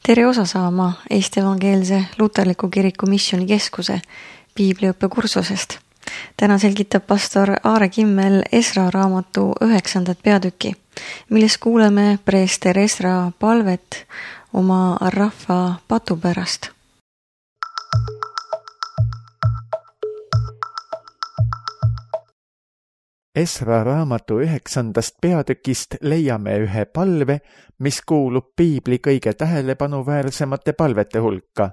Tere osa saama Eesti Evangeelse Luterliku Kiriku Missioonikeskuse piibliõppekursusest. Täna selgitab pastor Aare Kimmel Esra raamatu 9. peatüki, milles kuuleme preester Esra palvet oma rahva patu pärast. Esra raamatu 9. peatükist leiame ühe palve, mis kuulub piibli kõige tähelepanuväärsemate palvete hulka.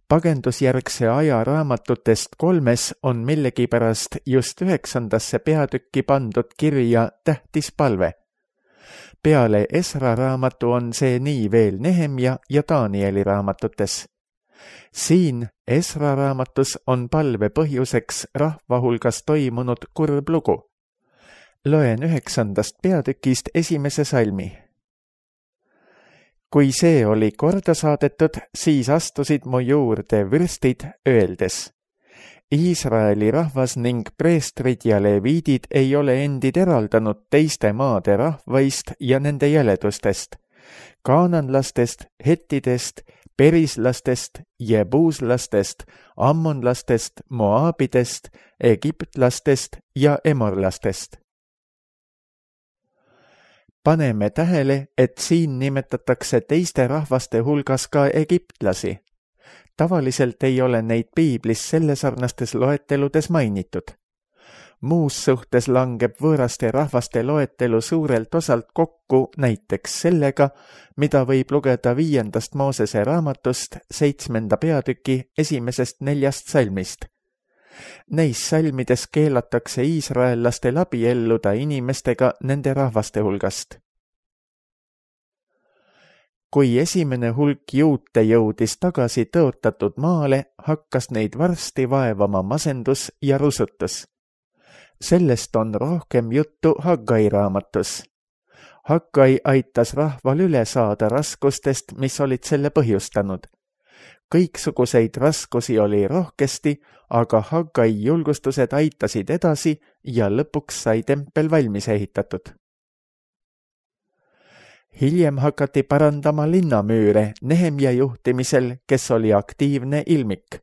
Pagendusjärgse aja raamatutest 3 on millegipärast just 9. peatükki pandud kirja tähtis palve. Peale Esra raamatu on see nii veel Nehemja ja Danieli raamatutes. Siin Esra raamatus on palve põhjuseks rahva hulgas toimunud kurb lugu. Loen 9. peatükist 1. salmi. Kui see oli korda saadetud, siis astusid mu juurde vürstid, öeldes: Iisraeli rahvas ning preestrid ja leviidid ei ole endid eraldanud teiste maade rahvaist ja nende jäledustest, kaananlastest, hettidest, perislastest, jebuuslastest, ammonlastest, moaabidest, egiptlastest ja emorlastest. Paneme tähele, et siin nimetatakse teiste rahvaste hulgas ka egiptlasi. Tavaliselt ei ole neid piiblis sellesarnastes loeteludes mainitud. Muus suhtes langeb võõraste rahvaste loetelu suurelt osalt kokku näiteks sellega, mida võib lugeda 5. Moosese raamatust 7. peatüki 1.–4. salmist. Neis salmides keelatakse iisraellastel abielluda inimestega nende rahvaste hulgast. Kui esimene hulk juute jõudis tagasi tõotatud maale, hakkas neid varsti vaevama masendus ja rusutus. Sellest on rohkem juttu Haggai raamatus. Haggai aitas rahval üle saada raskustest, mis olid selle põhjustanud. Kõiksuguseid raskusi oli rohkesti, aga Haggai julgustused aitasid edasi ja lõpuks sai tempel valmis ehitatud. Hiljem hakati parandama linnamüüre Nehemja juhtimisel, kes oli aktiivne ilmik.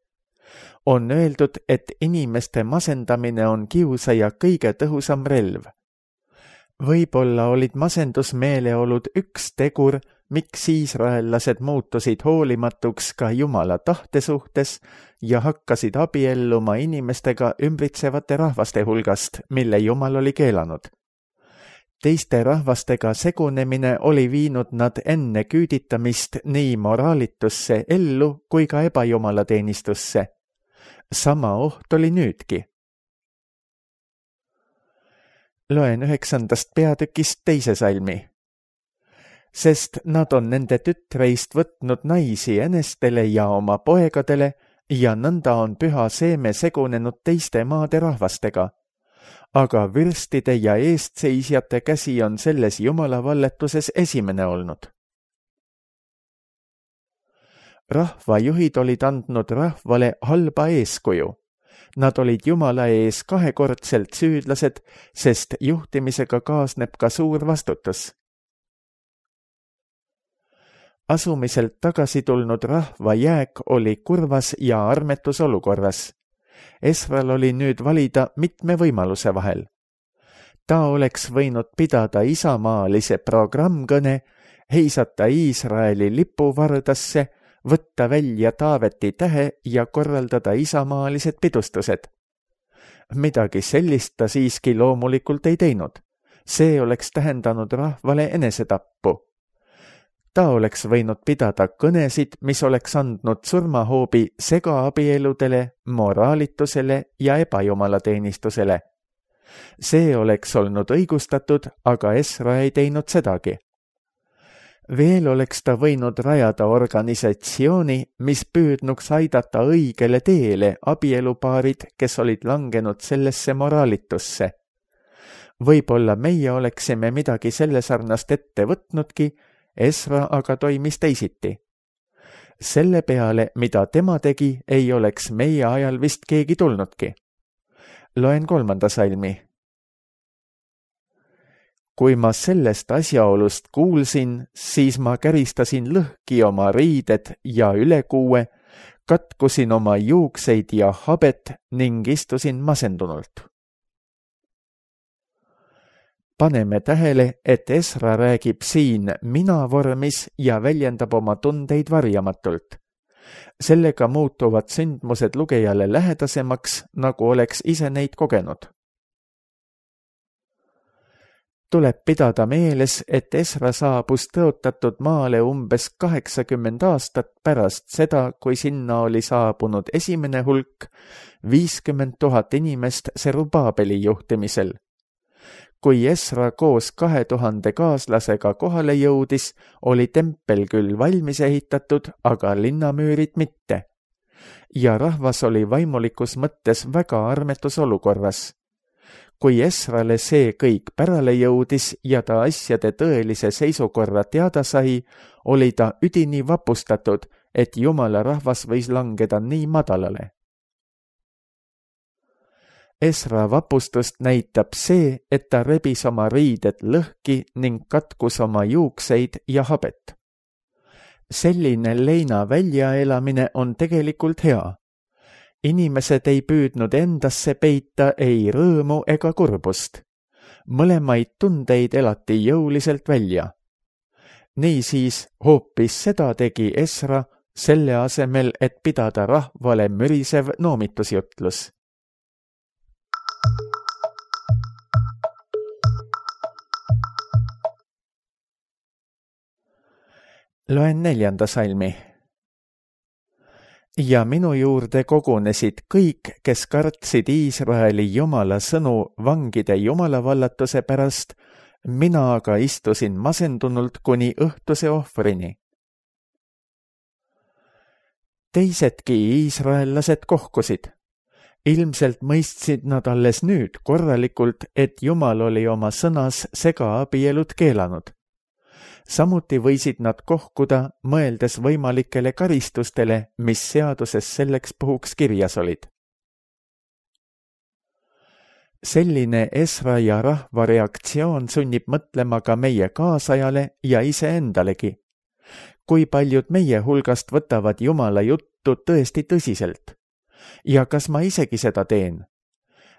On öeldud, et inimeste masendamine on kiusaja kõige tõhusam relv. Võib-olla olid masendusmeeleolud üks tegur, miks iisraellased muutusid hoolimatuks ka Jumala tahte suhtes ja hakkasid abielluma inimestega ümbritsevate rahvaste hulgast, mille Jumal oli keelanud. Teiste rahvastega segunemine oli viinud nad enne küüditamist nii moraalitusse ellu kui ka ebajumalateenistusse. Sama oht oli nüüdki. Loen 9. peatükist 2. salmi. Sest nad on nende tütreist võtnud naisi enestele ja oma poegadele ja nõnda on püha seeme segunenud teiste maade rahvastega. Aga vürstide ja eestseisjate käsi on selles Jumala valletuses esimene olnud. Rahvajuhid olid andnud rahvale halba eeskuju. Nad olid Jumala ees 2-kordselt süüdlased, sest juhtimisega kaasneb ka suur vastutus. Asumiselt tagasi tulnud rahva jääk oli kurvas ja armetus olukorras. Esral oli nüüd valida mitme võimaluse vahel. Ta oleks võinud pidada isamaalise programmkõne, heisata Iisraeli lipu vardasse, võtta välja Taaveti tähe ja korraldada isamaalised pidustused. Midagi sellist ta siiski loomulikult ei teinud. See oleks tähendanud rahvale enesetappu. Ta oleks võinud pidada kõnesid, mis oleks andnud surmahoobi segaabieludele, moraalitusele ja ebajumalateenistusele. See oleks olnud õigustatud, aga Esra ei teinud sedagi. Veel oleks ta võinud rajada organisatsiooni, mis püüdnuks aidata õigele teele abielupaarid, kes olid langenud sellesse moraalitusse. Võib-olla meie oleksime midagi sellesarnast ette võtnudki, Esra aga toimis teisiti. Selle peale, mida tema tegi, ei oleks meie ajal vist keegi tulnudki. Loen 3. salmi. Kui ma sellest asjaolust kuulsin, siis ma käristasin lõhki oma riided ja ülekuue, katkusin oma juukseid ja habet ning istusin masendunult. Paneme tähele, et Esra räägib siin mina vormis ja väljendab oma tundeid varjamatult. Sellega muutuvad sündmused lugejale lähedasemaks, nagu oleks ise neid kogenud. Tuleb pidada meeles, et Esra saabus tõotatud maale umbes 80 aastat pärast seda, kui sinna oli saabunud esimene hulk 50 000 inimest Serubaabeli juhtimisel. Kui Esra koos 2000 kaaslasega kohale jõudis, oli tempel küll valmis ehitatud, aga linnamüürid mitte. Ja rahvas oli vaimulikus mõttes väga armetus olukorras. Kui Esrale see kõik pärale jõudis ja ta asjade tõelise seisukorra teada sai, oli ta üdini vapustatud, et Jumala rahvas võis langeda nii madalale. Esra vapustust näitab see, et ta rebis oma riided lõhki ning katkus oma juukseid ja habet. Selline leina väljaelamine on tegelikult hea. Inimesed ei püüdnud endasse peita ei rõõmu ega kurbust. Mõlemaid tundeid elati jõuliselt välja. Niisiis hoopis seda tegi Esra selle asemel, et pidada rahvale mürisev noomitusjutlus. Loen 4. salmi. Ja minu juurde kogunesid kõik, kes kartsid Iisraeli Jumala sõnu vangide jumalavallatuse pärast, mina aga istusin masendunult kuni õhtuse ohvrini. Teisedki iisraellased kohkusid. Ilmselt mõistsid nad alles nüüd korralikult, et Jumal oli oma sõnas segaabielud keelanud. Samuti võisid nad kohkuda, mõeldes võimalikele karistustele, mis seaduses selleks puhuks kirjas olid. Selline Esra ja rahva reaktsioon sunnib mõtlema ka meie kaasajale ja iseendalegi. Kui paljud meie hulgast võtavad Jumala juttu tõesti tõsiselt? Ja kas ma isegi seda teen?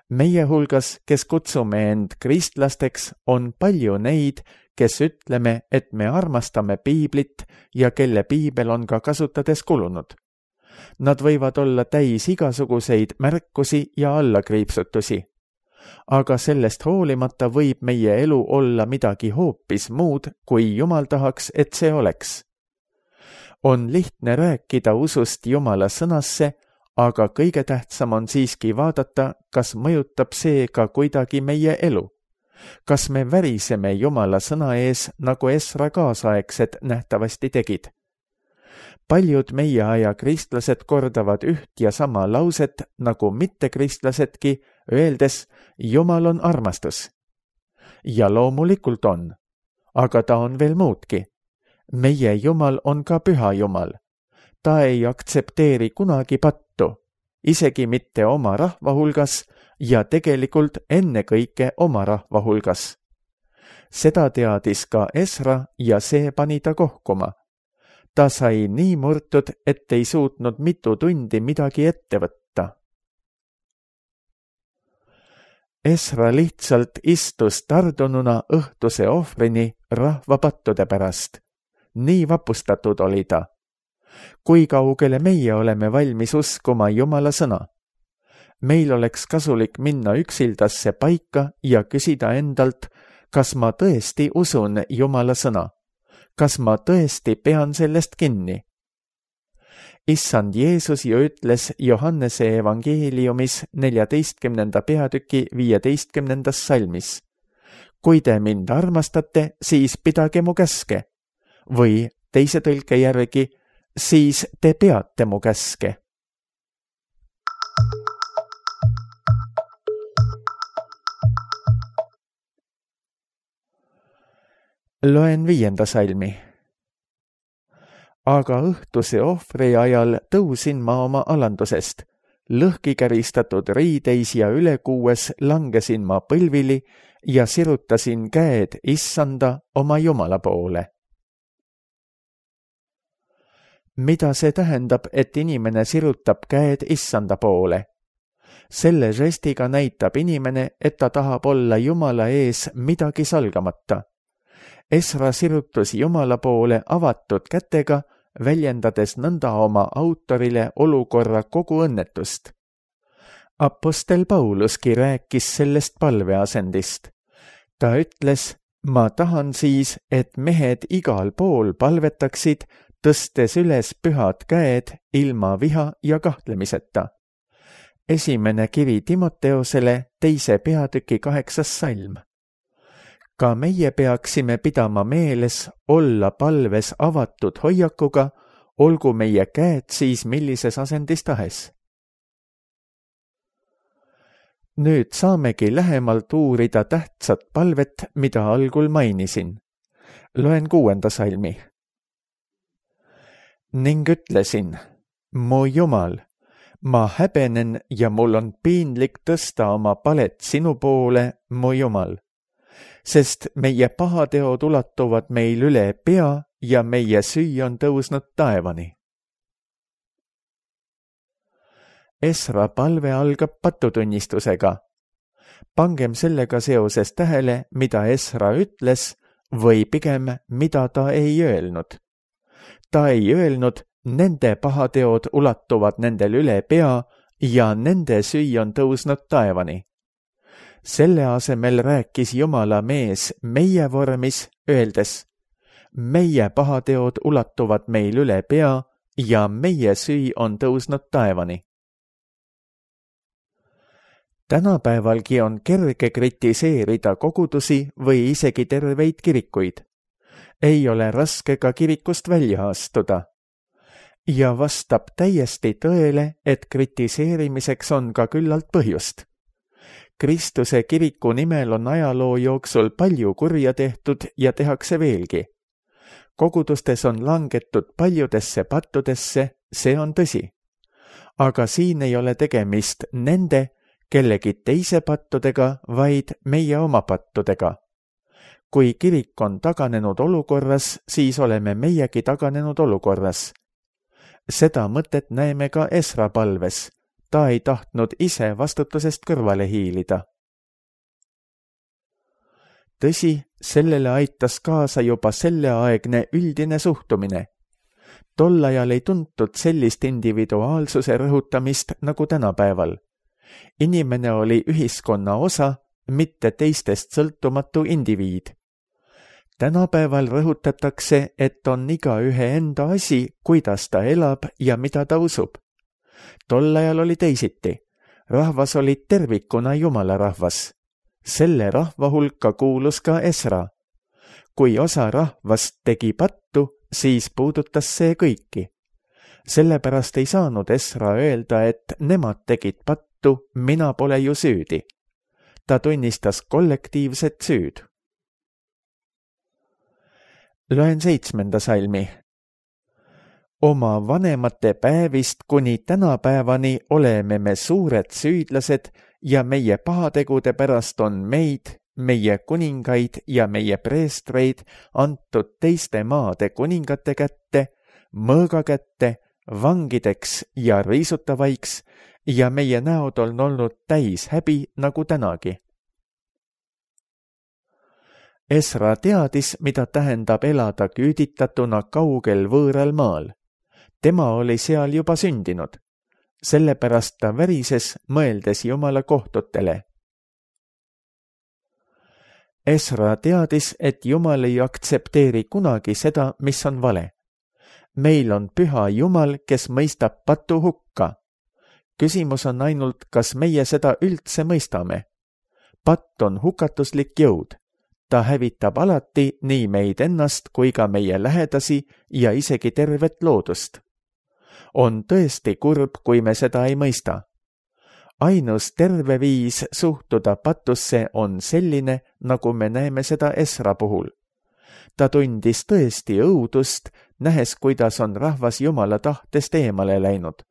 Meie hulgas, kes kutsume end kristlasteks, on palju neid, kes ütleme, et me armastame piiblit ja kelle piibel on ka kasutades kulunud. Nad võivad olla täis igasuguseid märkusi ja allakriipsutusi. Aga sellest hoolimata võib meie elu olla midagi hoopis muud, kui Jumal tahaks, et see oleks. On lihtne rääkida usust Jumala sõnasse, aga kõige tähtsam on siiski vaadata, kas mõjutab see ka kuidagi meie elu. Kas me väriseme Jumala sõna ees, nagu Esra kaasaegsed nähtavasti tegid? Paljud meie aja kristlased kordavad üht ja sama lauset nagu mittekristlasedki, öeldes, Jumal on armastus. Ja loomulikult on, aga ta on veel muudki. Meie Jumal on ka püha Jumal. Ta ei aktsepteeri kunagi pattu, isegi mitte oma rahva hulgas ja tegelikult ennekõike oma rahva hulgas. Seda teadis ka Esra ja see pani ta kohkuma. Ta sai nii murtud, et ei suutnud mitu tundi midagi ette võtta. Esra lihtsalt istus tardununa õhtuse ohvrini rahva pattude pärast. Nii vapustatud oli ta. Kui kaugele meie oleme valmis uskuma Jumala sõna? Meil oleks kasulik minna üksildasse paika ja küsida endalt, kas ma tõesti usun Jumala sõna? Kas ma tõesti pean sellest kinni? Issand Jeesus ju ütles Johannese evangeeliumis 14. peatüki 15. salmis. Kui te mind armastate, siis pidage mu käske. Või teise tõlke järgi, siis te peate mu käske. Loen 5. salmi. Aga õhtuse ohvri ajal tõusin ma oma alandusest. lõhki käristatud riideis ja ülekuues langesin ma põlvili ja sirutasin käed Issanda oma Jumala poole. Mida see tähendab, et inimene sirutab käed Issanda poole? Selle žestiga näitab inimene, et ta tahab olla Jumala ees midagi salgamata. Esra sirutus Jumala poole avatud kätega, väljendades nõnda oma autorile olukorra kogu õnnetust. Apostel Pauluski rääkis sellest palveasendist. Ta ütles, ma tahan siis, et mehed igal pool palvetaksid, tõstes üles pühad käed ilma viha ja kahtlemiseta. Esimene kiri Timoteosele 2. peatüki 8. salm. Ka meie peaksime pidama meeles olla palves avatud hoiakuga, olgu meie käed siis millises asendis tahes. Nüüd saamegi lähemalt uurida tähtsat palvet, mida algul mainisin. Loen 6. salmi. Ning ütlesin, mu Jumal, ma häbenen ja mul on piinlik tõsta oma palet sinu poole, mu Jumal, sest meie pahateod ulatuvad meil üle pea ja meie süü on tõusnud taevani. Esra palve algab patutunnistusega. Pangem sellega seoses tähele, mida Esra ütles või pigem, mida ta ei öelnud. Ta ei öelnud, nende pahateod ulatuvad nendel üle pea ja nende süü on tõusnud taevani. Selle asemel rääkis Jumala mees meie vormis, öeldes, meie pahateod ulatuvad meil üle pea ja meie süü on tõusnud taevani. Tänapäevalgi on kerge kritiseerida kogudusi või isegi terveid kirikuid. Ei ole raske ka kirikust välja astuda. Ja vastab täiesti tõele, et kritiseerimiseks on ka küllalt põhjust. Kristuse kiriku nimel on ajaloo jooksul palju kurja tehtud ja tehakse veelgi. Kogudustes on langetud paljudesse pattudesse, see on tõsi. Aga siin ei ole tegemist nende, kellegi teise pattudega, vaid meie oma pattudega. Kui kirik on taganenud olukorras, siis oleme meiegi taganenud olukorras. Seda mõtet näeme ka Esra palves. Ta ei tahtnud ise vastutusest kõrvale hiilida. Tõsi, sellele aitas kaasa juba selleaegne üldine suhtumine. Tol ajal ei tuntud sellist individuaalsuse rõhutamist nagu tänapäeval. Inimene oli ühiskonna osa, mitte teistest sõltumatu indiviid. Tänapäeval rõhutatakse, et on igaühe enda asi, kuidas ta elab ja mida ta usub. Tol ajal oli teisiti. Rahvas oli tervikuna Jumala rahvas. Selle rahva hulka kuulus ka Esra. Kui osa rahvast tegi pattu, siis puudutas see kõiki. Sellepärast ei saanud Esra öelda, et nemad tegid pattu, mina pole ju süüdi. Ta tunnistas kollektiivset süüd. Loen 7. salmi. Oma vanemate päevist kuni tänapäevani oleme me suured süüdlased ja meie pahategude pärast on meid, meie kuningaid ja meie preestreid antud teiste maade kuningate kätte, mõõga kätte, vangideks ja riisutavaiks ja meie näod on olnud täis häbi nagu tänagi. Esra teadis, mida tähendab elada küüditatuna kaugel võõral maal. Tema oli seal juba sündinud. Sellepärast ta värises, mõeldes Jumala kohtutele. Esra teadis, et Jumal ei aktsepteeri kunagi seda, mis on vale. Meil on püha Jumal, kes mõistab patu hukka. Küsimus on ainult, kas meie seda üldse mõistame. Patt on hukatuslik jõud. Ta hävitab alati nii meid ennast kui ka meie lähedasi ja isegi tervet loodust. On tõesti kurb, kui me seda ei mõista. Ainus terve viis suhtuda patusse on selline, nagu me näeme seda Esra puhul. Ta tundis tõesti õudust, nähes, kuidas on rahvas Jumala tahtest eemale läinud.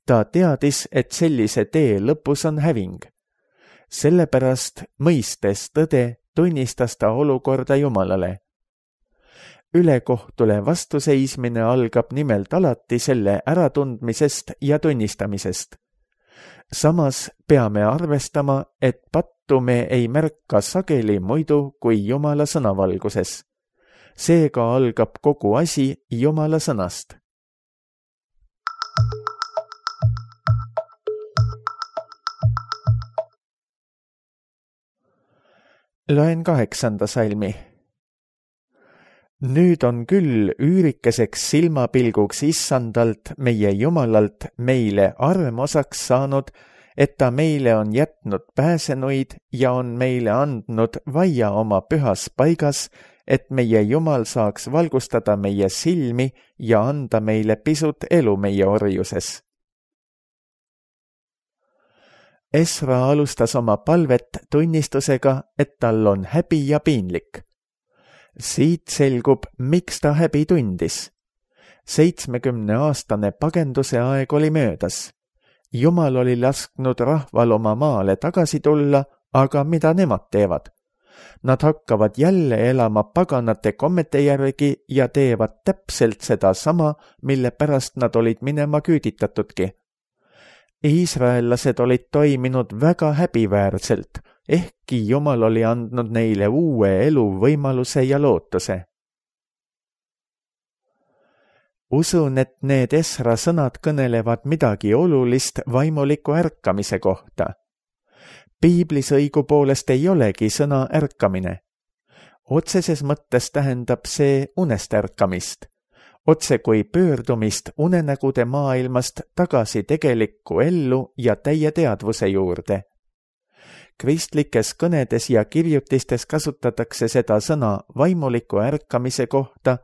Ta teadis, et sellise tee lõpus on häving. Sellepärast, mõistes tõde, tunnistas ta olukorda Jumalale. Ülekohtule vastuseismine algab nimelt alati selle äratundmisest ja tunnistamisest. Samas peame arvestama, et pattu me ei märka sageli muidu kui Jumala sõnavalguses. Seega algab kogu asi Jumala sõnast. Loen 8. salmi. Nüüd on küll üürikeseks silmapilguks issandalt, meie Jumalalt, meile armosaks saanud, et ta meile on jätnud pääsenuid ja on meile andnud vaia oma pühas paigas, et meie Jumal saaks valgustada meie silmi ja anda meile pisut elu meie orjuses. Esra alustas oma palvet tunnistusega, et tal on häbi ja piinlik. Siit selgub, miks ta häbi tundis. 70-aastane pagenduse aeg oli möödas. Jumal oli lasknud rahval oma maale tagasi tulla, aga mida nemad teevad? Nad hakkavad jälle elama paganate kommete järgi ja teevad täpselt seda sama, mille pärast nad olid minema küüditatudki. Iisraellased olid toiminud väga häbiväärselt, ehkki Jumal oli andnud neile uue elu võimaluse ja lootuse. Usun, et need Esra sõnad kõnelevad midagi olulist vaimuliku ärkamise kohta. Piiblis õigupoolest ei olegi sõna ärkamine. Otseses mõttes tähendab see unest ärkamist. Otse kui pöördumist unenägude maailmast tagasi tegelikku ellu ja täie teadvuse juurde. Kristlikes kõnedes ja kirjutistes kasutatakse seda sõna vaimuliku ärkamise kohta,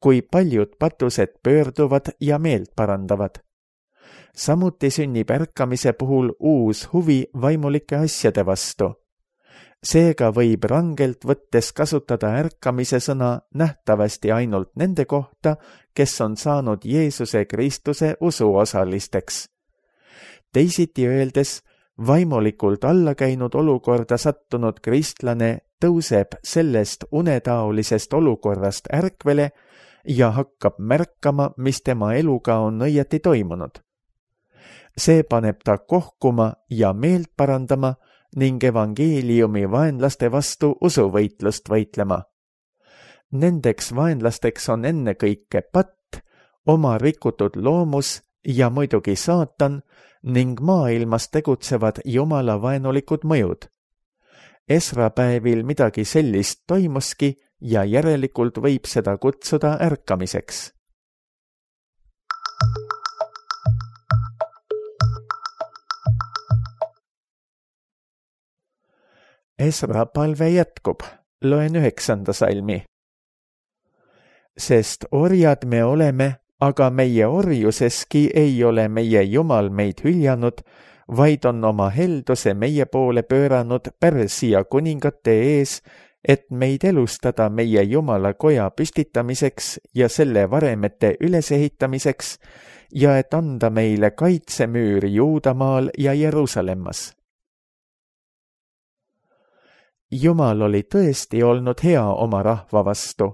kui paljud patused pöörduvad ja meelt parandavad. Samuti sünnib ärkamise puhul uus huvi vaimulike asjade vastu. Seega võib rangelt võttes kasutada ärkamise sõna nähtavasti ainult nende kohta, kes on saanud Jeesuse Kristuse usuosalisteks. Teisiti öeldes, vaimulikult allakäinud olukorda sattunud kristlane tõuseb sellest unetaolisest olukorrast ärkvele ja hakkab märkama, mis tema eluga on õieti toimunud. See paneb ta kohkuma ja meelt parandama ning evangeeliumi vaenlaste vastu usuvõitlust võitlema. Nendeks vaenlasteks on ennekõike patt, oma rikutud loomus ja muidugi saatan ning maailmas tegutsevad Jumala vaenulikud mõjud. Esra päevil midagi sellist toimuski ja järelikult võib seda kutsuda ärkamiseks. Esra palve jätkub, loen 9. salmi. Sest orjad me oleme, aga meie orjuseski ei ole meie Jumal meid hüljanud, vaid on oma helduse meie poole pööranud Pärsia kuningate ees, et meid elustada meie Jumala koja püstitamiseks ja selle varemete ülesehitamiseks ja et anda meile kaitsemüür Juudamaal ja Jeruusalemmas. Jumal oli tõesti olnud hea oma rahva vastu.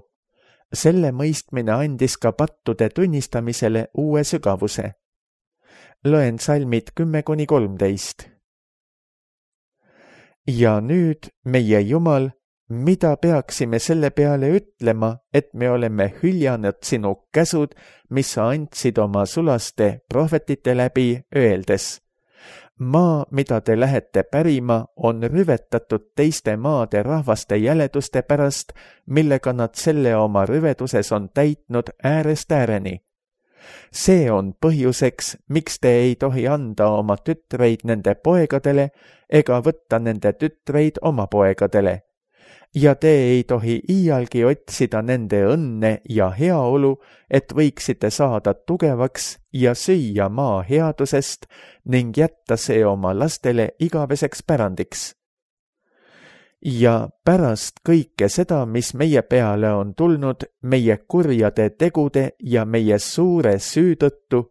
Selle mõistmine andis ka pattude tunnistamisele uue sügavuse. Loen salmid 10-13. Ja nüüd, meie Jumal, mida peaksime selle peale ütlema, et me oleme hüljanud sinu käsud, mis sa andsid oma sulaste prohvetite läbi, öeldes: maa, mida te lähete pärima, on rüvetatud teiste maade rahvaste jäleduste pärast, millega nad selle oma rüveduses on täitnud äärest ääreni. See on põhjuseks, miks te ei tohi anda oma tütreid nende poegadele ega võtta nende tütreid oma poegadele. Ja te ei tohi iialgi otsida nende õnne ja heaolu, et võiksite saada tugevaks ja süüa maa headusest ning jätta see oma lastele igaveseks pärandiks. Ja pärast kõike seda, mis meie peale on tulnud meie kurjade tegude ja meie suure süü tõttu,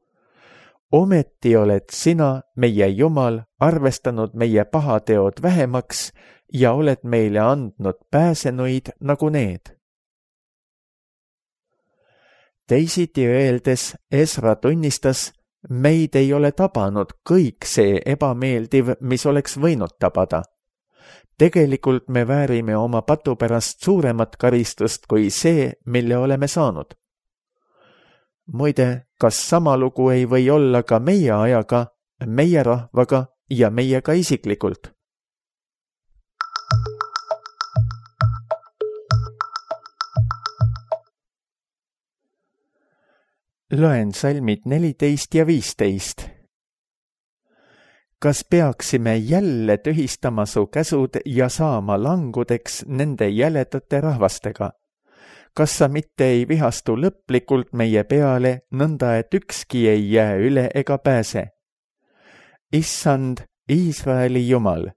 ometi oled sina, meie Jumal, arvestanud meie pahateod vähemaks ja oled meile andnud pääsenuid nagu need. Teisiti öeldes Esra tunnistas, meid ei ole tabanud kõik see ebameeldiv, mis oleks võinud tabada. Tegelikult me väärime oma patu pärast suuremat karistust kui see, mille oleme saanud. Muide, kas sama lugu ei või olla ka meie ajaga, meie rahvaga ja meiega isiklikult? Loen salmid 14 ja 15. Kas peaksime jälle tühistama su käsud ja saama langudeks nende jäledate rahvastega? Kas sa mitte ei vihastu lõplikult meie peale, nõnda et ükski ei jää üle ega pääse? Issand, Iisraeli Jumal,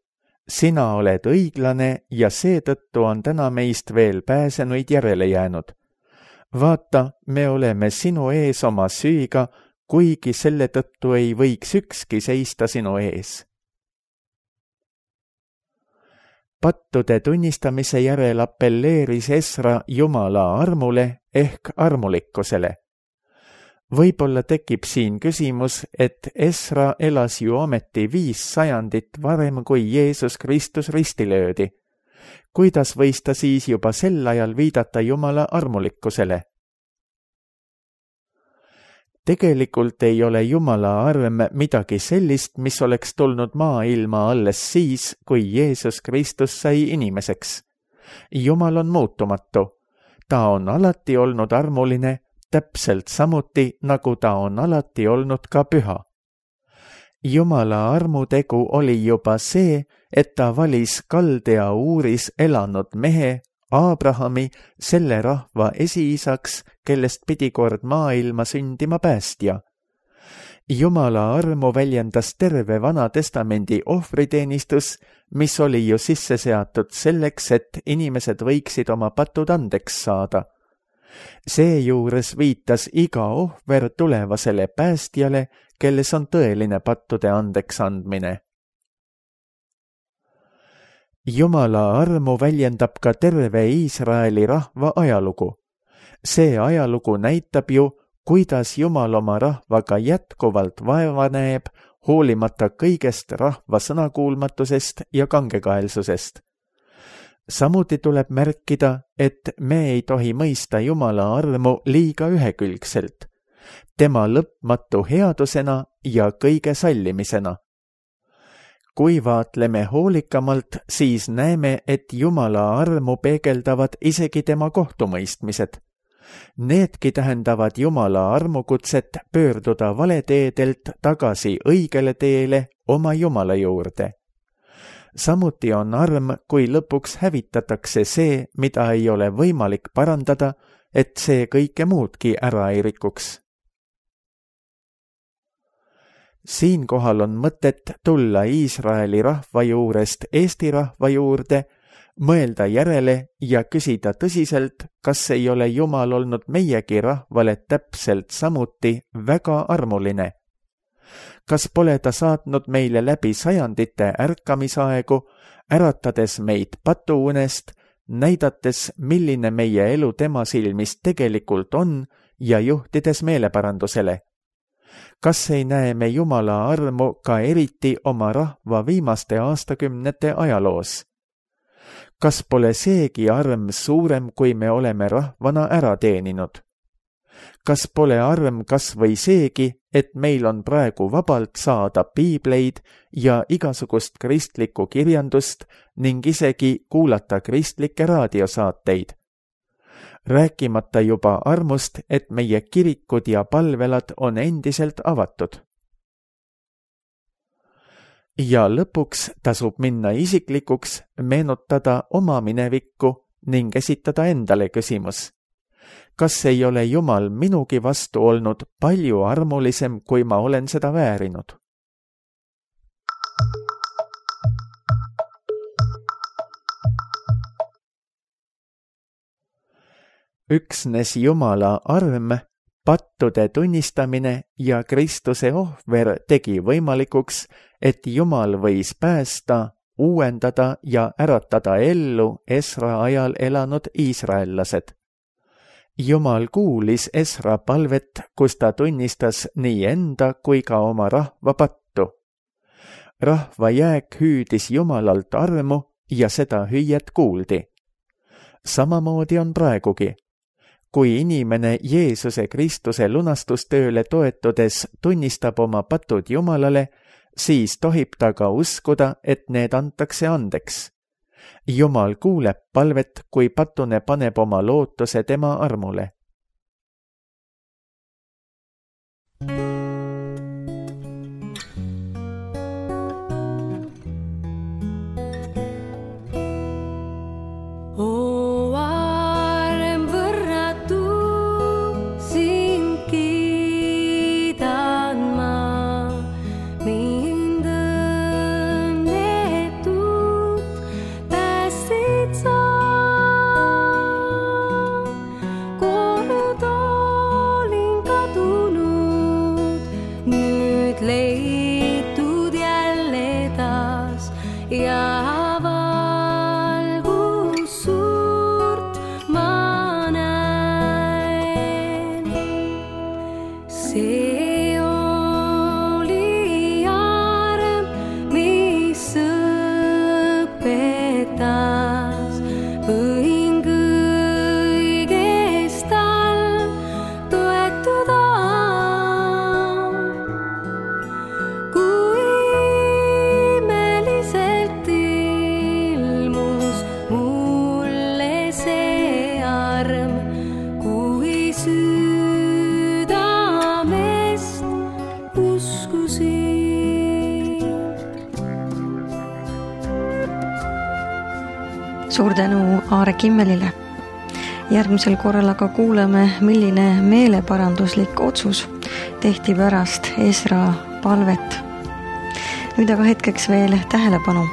sina oled õiglane ja seetõttu on täna meist veel pääsenuid järele jäänud. Vaata, me oleme sinu ees oma süüga, kuigi selle tõttu ei võiks ükski seista sinu ees. Pattude tunnistamise järel appelleeris Esra Jumala armule ehk armulikkusele. Võib-olla tekib siin küsimus, et Esra elas ju ometi 5 sajandit varem, kui Jeesus Kristus risti löödi. Kuidas võis ta siis juba sel ajal viidata Jumala armulikkusele? Tegelikult ei ole Jumala arm midagi sellist, mis oleks tulnud maailma alles siis, kui Jeesus Kristus sai inimeseks. Jumal on muutumatu. Ta on alati olnud armuline, täpselt samuti, nagu ta on alati olnud ka püha. Jumala armutegu oli juba see, et ta valis Kaldea Uuris elanud mehe, Abrahami, selle rahva esiisaks, kellest pidi kord maailma sündima päästja. Jumala armu väljendas terve Vana Testamendi ohvriteenistus, mis oli ju sisse seatud selleks, et inimesed võiksid oma patud andeks saada. Seejuures viitas iga ohver tulevasele päästjale, kelles on tõeline pattude andeks andmine. Jumala armu väljendab ka terve Iisraeli rahva ajalugu. See ajalugu näitab ju, kuidas Jumal oma rahvaga jätkuvalt vaeva näeb, hoolimata kõigest rahva sõnakuulmatusest ja kangekaelsusest. Samuti tuleb märkida, et me ei tohi mõista Jumala armu liiga ühekülgselt, tema lõpmatu headusena ja kõige sallimisena. Kui vaatleme hoolikamalt, siis näeme, et Jumala armu peegeldavad isegi tema kohtumõistmised. Needki tähendavad Jumala armukutset pöörduda valeteedelt tagasi õigele teele oma Jumala juurde. Samuti on arm, kui lõpuks hävitatakse see, mida ei ole võimalik parandada, et see kõike muudki ära ei rikuks. Siinkohal on mõtet tulla Iisraeli rahva juurest Eesti rahva juurde, mõelda järele ja küsida tõsiselt, kas ei ole Jumal olnud meiegi rahvale täpselt samuti väga armuline. Kas pole ta saatnud meile läbi sajandite ärkamisaegu, äratades meid patuunest, näidates, milline meie elu tema silmis tegelikult on ja juhtides meeleparandusele? Kas ei näe me Jumala armu ka eriti oma rahva viimaste aastakümnete ajaloos? Kas pole seegi arm suurem, kui me oleme rahvana ära teeninud? Kas pole arm kas või seegi, et meil on praegu vabalt saada piibleid ja igasugust kristlikku kirjandust ning isegi kuulata kristlikke raadiosaateid? Rääkimata juba armust, et meie kirikud ja palvelad on endiselt avatud. Ja lõpuks tasub minna isiklikuks, meenutada oma minevikku ning esitada endale küsimus. Kas ei ole Jumal minugi vastu olnud palju armulisem, kui ma olen seda väärinud? Üksnes Jumala arm, pattude tunnistamine ja Kristuse ohver tegi võimalikuks, et Jumal võis päästa, uuendada ja äratada ellu Esra ajal elanud iisraellased. Jumal kuulis Esra palvet, kus ta tunnistas nii enda kui ka oma rahva pattu. Rahva jääk hüüdis Jumalalt armu ja seda hüüet kuuldi. Samamoodi on praegugi. Kui inimene Jeesuse Kristuse lunastustööle toetudes tunnistab oma patud Jumalale, siis tohib ta ka uskuda, et need antakse andeks. Jumal kuuleb palvet, kui patune paneb oma lootuse tema armule. Leitud jälle taas ja valgus suurt ma näen. See oli arm, mis õpetas, võin kõigest tal toetuda. Suur tänu Aare Kimmelile. Järgmisel korral aga kuuleme, milline meeleparanduslik otsus tehti pärast Esra palvet. Nüüd aga hetkeks veel tähelepanu.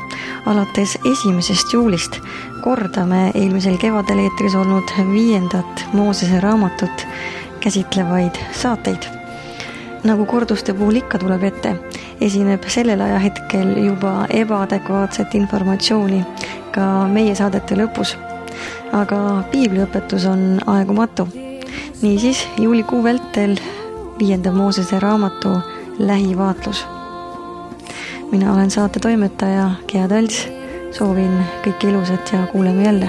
Alates 1. juulist kordame eelmisel kevadel eetris olnud 5. Moosese raamatut käsitlevaid saateid. Nagu korduste puhul ikka tuleb ette, esineb sellel ajahetkel juba ebaadekvaatset informatsiooni ka meie saadete lõpus. Aga piibliõpetus on aegumatu. Niisiis juulikuu vältel 5. Moosese raamatu lähivaatlus. Mina olen saate toimetaja Gea Talts. Soovin kõike ilusat ja kuuleme jälle.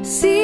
See